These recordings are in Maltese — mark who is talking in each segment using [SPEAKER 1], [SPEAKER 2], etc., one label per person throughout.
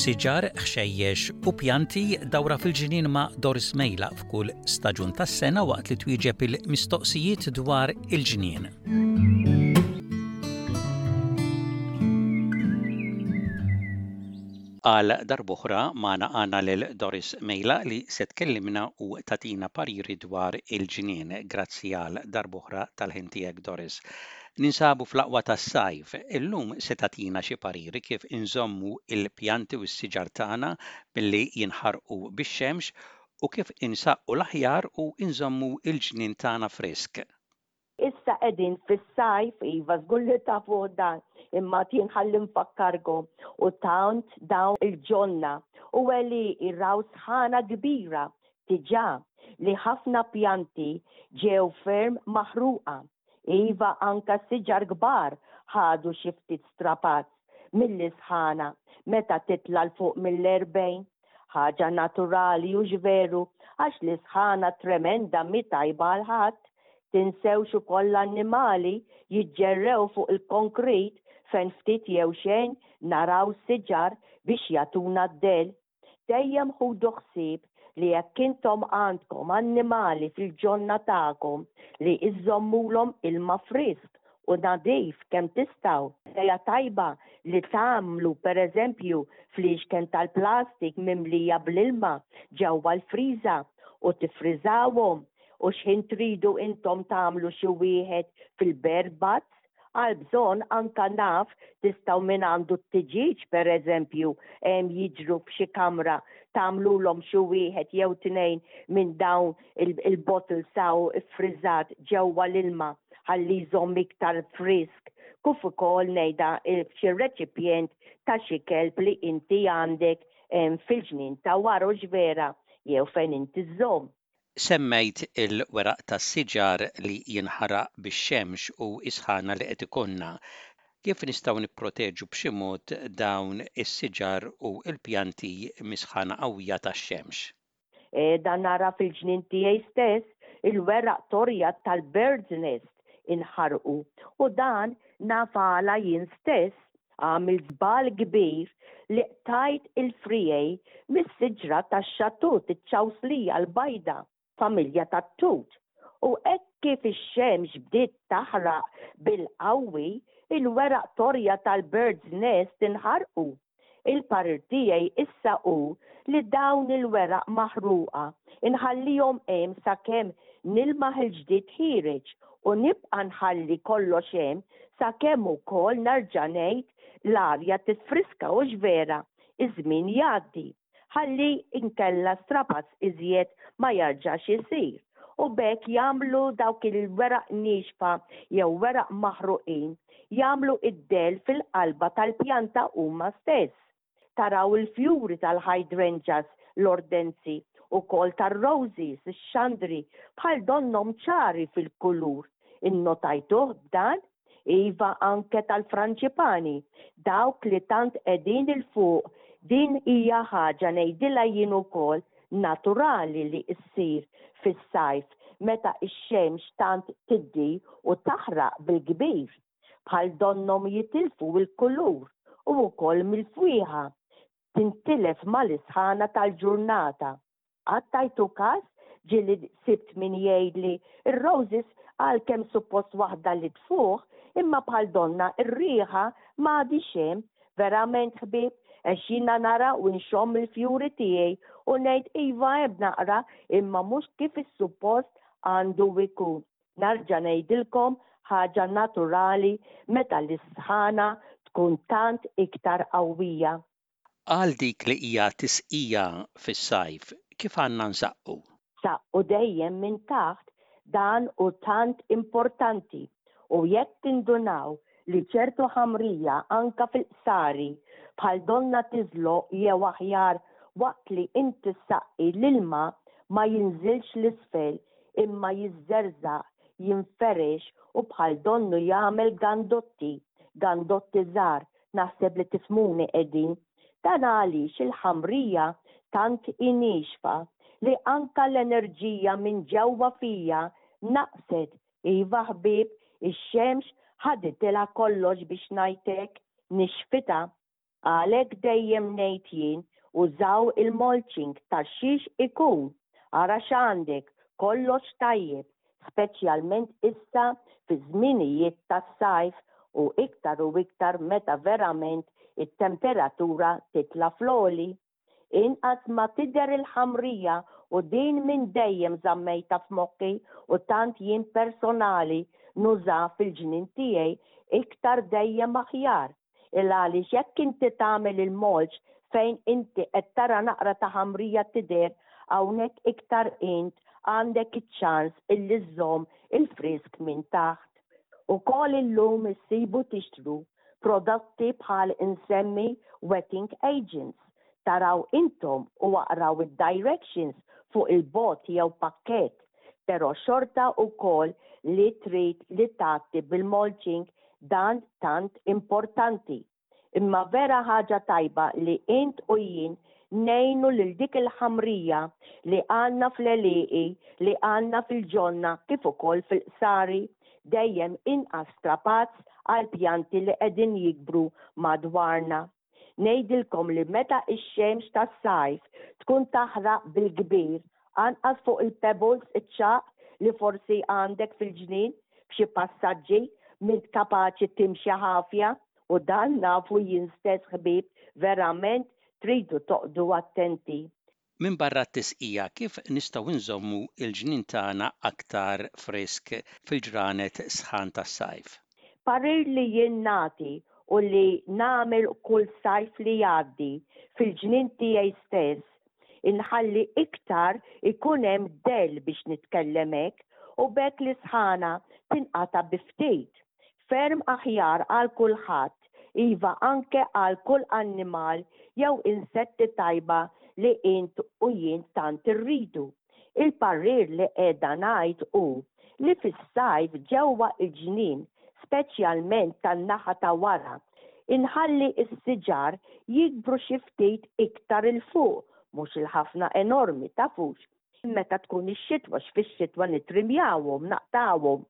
[SPEAKER 1] Siġar, ħxejjex u pjanti dawra fil-ġnien ma' Doris Mejla f'kull staġun tas-sena waqt li twieġeb il-mistoqsijiet dwar il-ġnien. Għal darb'oħra magħna għandna lil Doris Mejla li se tkellimna u tagħtina pariri dwar il-ġnien. Grazzi għal darb'oħra tal-ħin tiegħek Doris. Ninsabu fl-aqwa tas-sajf. Illum se tagħtina xi pariri kif inżommu l-pjanti u s-siġar tagħna milli jinħarqu bix-xemx u kif insaqqu l-aħjar u nżommu l-ġnien tagħna frisk.
[SPEAKER 2] Issa qegħdin fis-sajf, iva żgur li tafuh dan, imma jien ħalli nfakkarkom, u tant dawn il-ġonna u għelieqi raw sħana kbira diġà li ħafna pjanti ġew ferm maħruqa. Iva anka siġar kbar ħadu xi ftit strapazz mill-isħana meta titla' 'l fuq mill-40. Ħaġa naturali hux veru għax l-isħana tremenda mhi tajba għal ħadd. Tinsewx ukoll l-annimali jiġġerrew fuq il-konkrit fejn ftit jew xejn naraw siġar biex jagħtuna d-dell. Dejjem ħudu ħsieb li jekk intom għandkom annimali fil-ġonna tagħkom li iżżommulhom ilma frisk u nadif kemm tistgħu. Idea tajba li tagħmlu pereżempju fliexken tal-plastik mimlija bl-ilma ġewwa l-friża u tiffriżawhom u x'ħin tridu intom tagħmlu xi wieħed fil-bird baths għal bżonn anka naf tistgħu min għandu t-tiġieġ pereżempju hemm jiġru f'xi kamra tagħmlulhom xi wieħed jew tnejn minn dawn il-bottles hawn iffriżat ġewwa l-ilma ħalli jżomm iktar frisk kif ukoll ngħidha f'xi reċipjent ta' xi kelb li inti għandek fil-ġnien ta' wara hux vera jew fejn inti żżomm.
[SPEAKER 1] Semmejt il-weraq tas-siġar li jinħaraq bix-xemx u s-sħana li qed ikollna. Kif nistgħu nipproteġu b'xi mod dawn is-siġar u l-pjanti mis-sħana qawwija tax-xemx?
[SPEAKER 2] Qiegħda nara fil-ġnien tiegħi stess il-weraq torja tal-bird's nest inħarqu u dan naf għala jien stess għamilt żball kbir li qtajt il-friegħi mis-siġra tax-xatut, iċ-ċawslija l-bajda, familja tat-tut. U hekk kif ix-xemx bdiet taħraq bil-qawwi, il-weraq torja tal-bird's nest inħarqu. Il-parir tiegħi issa hu li dawn il-weraq maħruqa nħallihom hemm sakemm nilmaħ il-ġdid ħiereġ u nibqa' nħalli kollox hemm sakemm ukoll nerġa' ngħid l-arja tiffriska hux vera, iż-żmien jgħaddi. Ħalli inkella strapazz iżjed ma jarġax isir u b'hekk jagħmlu dawk il-weraq niexfa jew weraq maħruqin jagħmlu id-dell fil-qalba tal-pjanta huma stess. Taraw il-fjuri tal-hydrangeas, l-ordenzi, ukoll tar-roses, ix-xandri, bħal donnhom ċari fil-kulur. Innotajtuh b'dan? Iva anke tal-franġipani, dawk li tant qegħdin 'il fuq, din hija ħaġa ngħidilha jien ukoll naturali li ssir fis-sajf meta x-xemx tant tiddi u taħraq bil-kbir. Bħal donnhom jitilfu l-kulur u wkoll mill-fwieħa tintilef mal-isħana tal-ġurnata. Qatt tajtu kas? Ġieli sibt min jgħidli r-roses għalkemm suppost waħda li tfuħ imma bħal donnha r-riħa m'għadhiex hemm. Verament ħbieb, għax jiena nara u nxomm il-fjuri tiegħi u ngħid iva hemm naqra imma mhux kif is-suppost għandu jkun. Narġa' ngħidilkom ħaġa naturali meta l-isħana tkun tant iktar qawwija.
[SPEAKER 1] Għal dik li hija tisqija fis-sajf, kif għandna nsaqqu?
[SPEAKER 2] Saqqu dejjem minn taħt, dan hu tant importanti u jekk tindunaw li ċertu ħamrija anka fil-qsari bħal donnha tiżloq jew aħjar waqt li inti ssaqqi l-ilma ma jinżilx 'l isfel imma jiżżerżaq, jinferex u bħal donnu jagħmel gandotti, gandotti żgħar Naħseb li tifhmuni qegħdin. Dan għaliex il-ħamrija tant hi niexfa li anka l-enerġija minn ġewwa fija naqset. Iva ħbieb, ix-xemx ħaditilha kollox biex ngħid hekk, nixfitha. Għalhekk dejjem ngħid jien użaw il-mulching ta' xiex ikun, ara x'għandek, kollox tajjeb, speċjalment issa fiż-żminijiet tas-sajf u iktar u iktar meta verament it-temperatura titla' fl-għoli. Inqas ma tidher il-ħamrija u din minn dejjem żammejtha f'moħħi u tant jien personali nuża fil-ġnien tiegħi iktar dejjem aħjar. Il għaliex jekk inti tagħmel il-mulch fejn inti qed tara naqra ta' ħamrija tidher hawnhekk iktar int għandek iċ-ċans illi żżomm il-frisk minn taħt. Ukoll illum issibu tixtru Prodotti bħal insemmi wetting agents, taraw intom u aqraw id-directions fuq il-bott jew pakkett, pero xorta ukoll li trid li tgħatti bil-mulching dan tant importanti. Imma vera ħaġa tajba li int u jien ngħinu lil dik il-ħamrija li għandna fl-għelieqi, li għandna fil-ġonna kif ukoll fil-qsari, dejjem inqas strapazz għall-pjanti li qegħdin jikbru madwarna. Ngħidilkom li meta x-xemx tas-sajf tkun taħraq bil-kbir, anqas fuq il-pebbles iċ-ċagħaq li forsi għandek fil-ġnien f'xi passaġġi m'int kapaċi timxi ħafja u dan nafu jien stess ħbieb verament tridu toqgħdu attenti.
[SPEAKER 1] Minbarra t-tisqija, kif nistgħu nżommu l-ġnien tagħna aktar frisk fil-ġranet sħan tas-sajf?
[SPEAKER 2] Parir li jien nagħti u li nagħmel kull sajf li jgħaddi fil-ġnien tiegħi stess, inħalli iktar ikun hemm dell biex nitkellem hekk u b'hekk l-isħana tinqata' bi ftit. Ferm aħjar għal kulħadd, iva anke għal kull annimal jew insetti tajba li int u jien tant irridu. Il-parir li qiegħda ngħid hu li fis-sajf ġewwa l-ġnien, speċjalment tan-naħa ta' wara, inħalli s-siġar jikbru xi ftit iktar 'il fuq, mhux il-ħafna enormi, tafux, Meta tkun ix-xitwa, x'fix-xitwa nittrimjawhom, naqtgħuhom.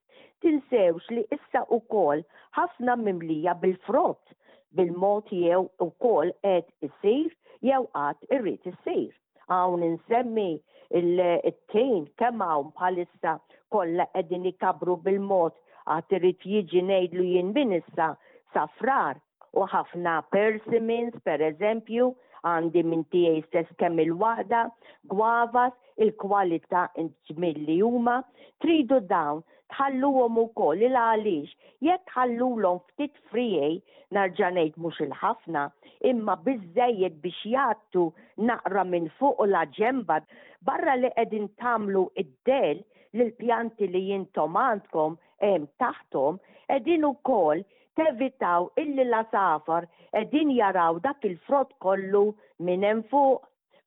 [SPEAKER 2] Tinsewx li issa wkoll ħafna mimlija bil-frott, bil-mod jew ukoll qed isir jew għad irid isir. Hawn insemmi it-tin kemm hawn bħalissa kollha qegħdin ikabbru bil-mod għad irid jiġi ngħidlu jien minn issa sa Frar. U ħafna persimmons, per eżempju, għandi minn tiegħi stess kemm il-waħda, guavas, il-kwalità ġmiel li huma, tridu dawn tħalluhom ukoll il għaliex jekk tħallulhom ftit friegħi, narġa' ngħid mhux il-ħafna, imma biżżejjed biex jgħattu naqra minn fuq u laġenba, barra li qegħdin tagħmlu id-dell lill-pjanti li intom għandkom hemm taħthom, qegħdin ukoll tevitaw illi l-għasafar qegħdin jaraw dak il-frott kollu minn hemm fuq.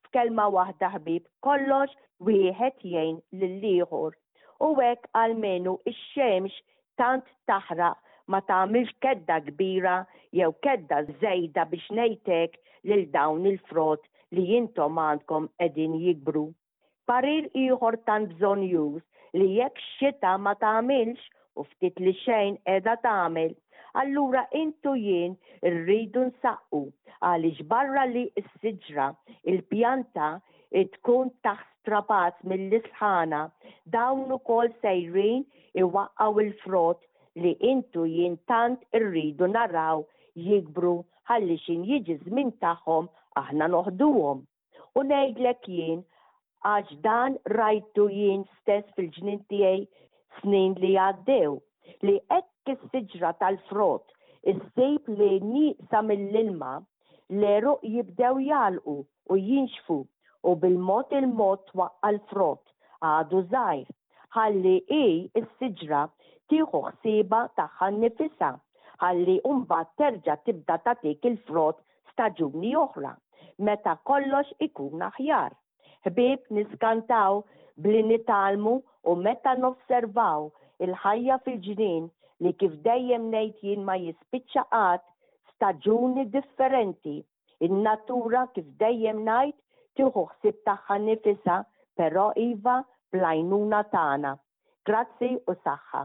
[SPEAKER 2] F'kelma waħda ħbieb, kollox wieħed jgħin lill-ieħor. U hekk almenu x-xemx tant taħraq ma tagħmilx kedda kbira jew kedda żejda biex ngħid hekk lil dawn il-frott li intom għandkom qegħdin jikbru. Parir ieħor tant bżonnjuż li jekk x-xita ma tagħmilx, u ftit li xejn qiegħda tagħmel, allura int u jien irridu nsaqqu għaliex barra li s-siġra, il-pjanta, tkun taħt strapazz mill-isħana, dawn ukoll sejrin iwaqqgħu l-frott li int u jien tant irridu naraw jikbru ħalli x'in jiġi ż-żmien tagħhom aħna noħduhom. U ngħidlek jien, għax dan rajtu jien stess fil-ġnien tiegħi snin li għaddew, li hekk is-siġra tal-frott issib li nieqsa mill-ilma, l-għeruq jibdew jagħlqu u jinxfu u bil-mod il-mod twaqqa' l-frott għadu żgħir, ħalli hi, is-siġra, tieħu ħsiebha tagħha nnifisha, ħalli mbagħad terġa' tibda tagħtik il-frott staġuni oħra, meta kollox ikun aħjar. Ħbieb niskantaw b'li nitgħallmu u meta nosservaw il-ħajja fil-ġnien li kif dejjem ngħid jien ma jispiċċa qatt, staġuni differenti. In-natura kif dejjem ngħid tieħu ħsieb tagħha nnifisha però iva bl-għajnuna tagħna. Grazzi u saħħa.